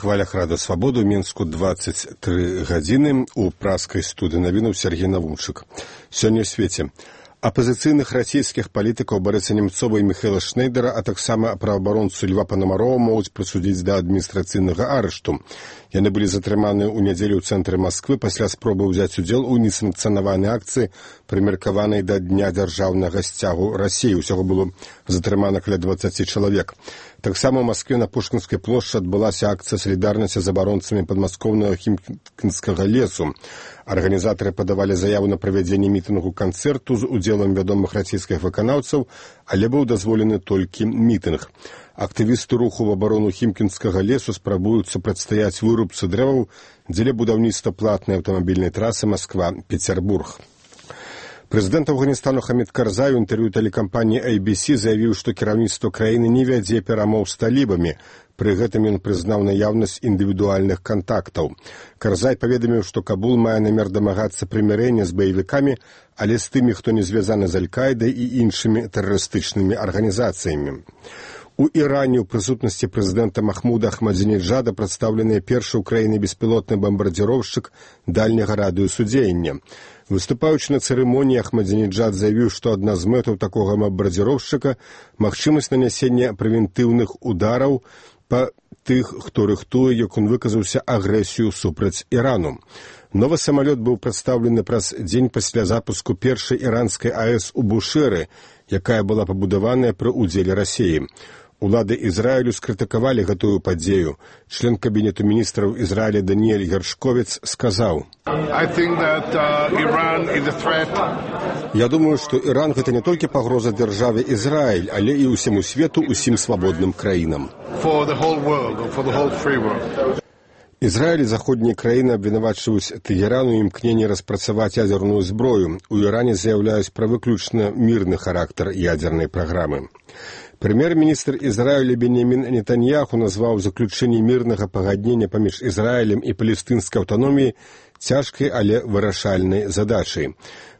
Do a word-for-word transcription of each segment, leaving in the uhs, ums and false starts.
хвалях Рада Свабоды ў Мінску двадцать тры гадзіны. У праскай студыі навінаў Сергей Навунчык. Сёння ў свеце апазіцыйных расійскіх палітыкаў Барыса Немцова і Михайла Шнейдера, а таксама праваабаронцу Льва Панамарова могуць прысудзіць да адміністрацыйнага арышту. Яны былі затрыманы ў нядзелю ў цэнтры Масквы пасля спробы ўзяць удзел у несанкцыянаванай акцыі, прымеркаванай да Дня дзяржаўнага сцягу Расіі. Усяго было затрымана каля дваццаці чалавек. Таксама ў Маскве на Пушкінскай плошчы адбылася акцыя салідарнасці з абаронцамі падмаскоўнага Хімкінскага лесу. Арганізатары падавалі заяву на правядзенне мітынгу-канцэрту з удзелам вядомых расійскіх выканаўцаў, але быў дазволены толькі мітынг. Актывісты руху в абарону Хімкінскага лесу спрабуюць супрацьстаяць вырубцы дрэваў дзеля будаўніцтва платнай аўтамабільнай трасы Масква-Петербург. Прэзідэнт Афганістану Хамід Карзай у інтэрв'ю тэлекампаніі эй би си заявіў, што кіраўніцтва краіны не вядзе перамоў з талібамі. Пры гэтым ён прызнаў наяўнасць індывідуальных кантактаў. Карзай паведаміў, што Кабул мае намер дамагацца прымірэння з баевікамі, але з тымі, хто не звязаны з Аль-Каідай і іншымі тэрарыстычнымі арганізацыямі. У Іране ў прысутнасці прэзідэнта Махмуда Ахмадзінеджада прадстаўлены першы ў краіне беспілотны бамбардзіроўшчык дальняга радыусу дзеяння. Выступаючы на цырымоніі, Ахмадзінеджад заявіў, што адна з мэтаў такога бамбардзіроўшчыка – магчымасць нанясення прэвентыўных удараў па тых, хто рыхтуе, як он выказаўся, агрэсію супраць Ірану. Новы самалёт быў прадстаўлены праз дзень пасля запуску першай іранскай АЭС у Бушэры, якая была пабудаваная пры ўдзеле Расіі. Улады Ізраілю скрытыкавалі гэтую падзею. Член кабінету міністраў Ізраіля Даніэль Гершковец сказаў: «Я думаю, што Іран гэта не толькі пагроза дзяржаве Ізраіль, але і ўсяму свету, усім свабодным краінам». Ізраіль і заходнія краіны абвінавачваюць Тэгеран у імкненні распрацаваць ядзерную зброю. У Іране заяўляюць пра выключна мірны характар ядзернай праграмы. Прэм'ер-міністр Ізраіля Беньямін Нетаньяху назваў заключэнне мірнага пагаднення паміж Ізраілем і палестынскай аўтаноміяй цяжкай, але вырашальнай задачай.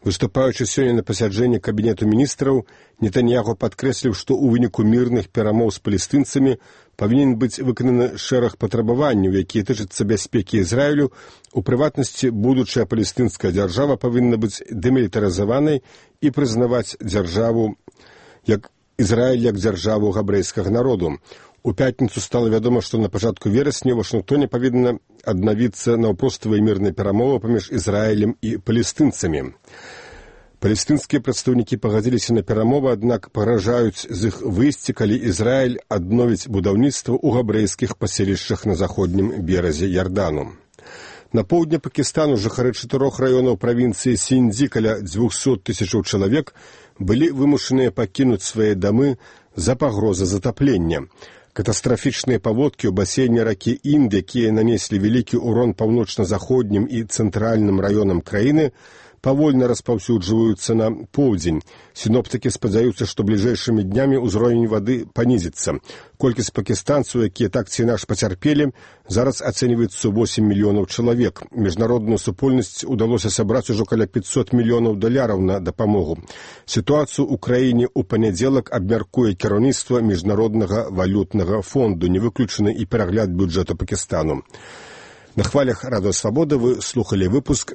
Выступаючы сёння на пасяджэнні кабінету міністраў, Нетаньяху падкрэсліў, што ў выніку мірных перамоў з палестынцамі павінен быць выкананы шэраг патрабаванняў, якія тычацца бяспекі Ізраілю. У прыватнасці, будучая палестынская дзяржава павінна быць дэмілітарызаванай і прызнаваць дзяржаву як Ізраіль як дзяржаву габрэйскага народу. У пятніцу стала вядома, што на пачатку верасня ў Вашынгтоне павінна аднавіцца наўпроставыя мірныя перамовы паміж Ізраілем і палестынцамі. Палестынскія прадстаўнікі пагадзіліся на перамовы, аднак пагражаюць з іх выйсці, калі Ізраіль адновіць будаўніцтва ў габрэйскіх паселішчах на заходнім беразе Ярдану. На поўдні Пакістану жыхары чатырох раёнаў правінцыі Сіндзі, каля дзвюхсот тысячаў чалавек, былі вымушаныя пакінуць свае дамы з-за пагрозы затаплення. Катастрафічныя паводкі ў басейне ракі Інд, якія нанеслі вялікі ўрон паўночна-заходнім і цэнтральным раёнам краіны, павольна распаўсюджваюцца на поўдзень. Сіноптыкі спадзяюцца, што бліжэйшымі днямі ўзровень вады панізіцца. Колькасць пакістанцаў, якія так ці інакш пацярпелі, зараз ацэньваецца восем мільёнаў чалавек. Міжнародную супольнасць удалося сабраць ужо каля пятьсот мільёнаў даляраў на дапамогу. Сітуацыю ў краіне ў панядзелак абмяркуе кіраўніцтва Міжнароднага валютнага фонду, не выключаны і перагляд бюджэту Пакістану. На хвалях Радыё Свабода вы слухалі выпуск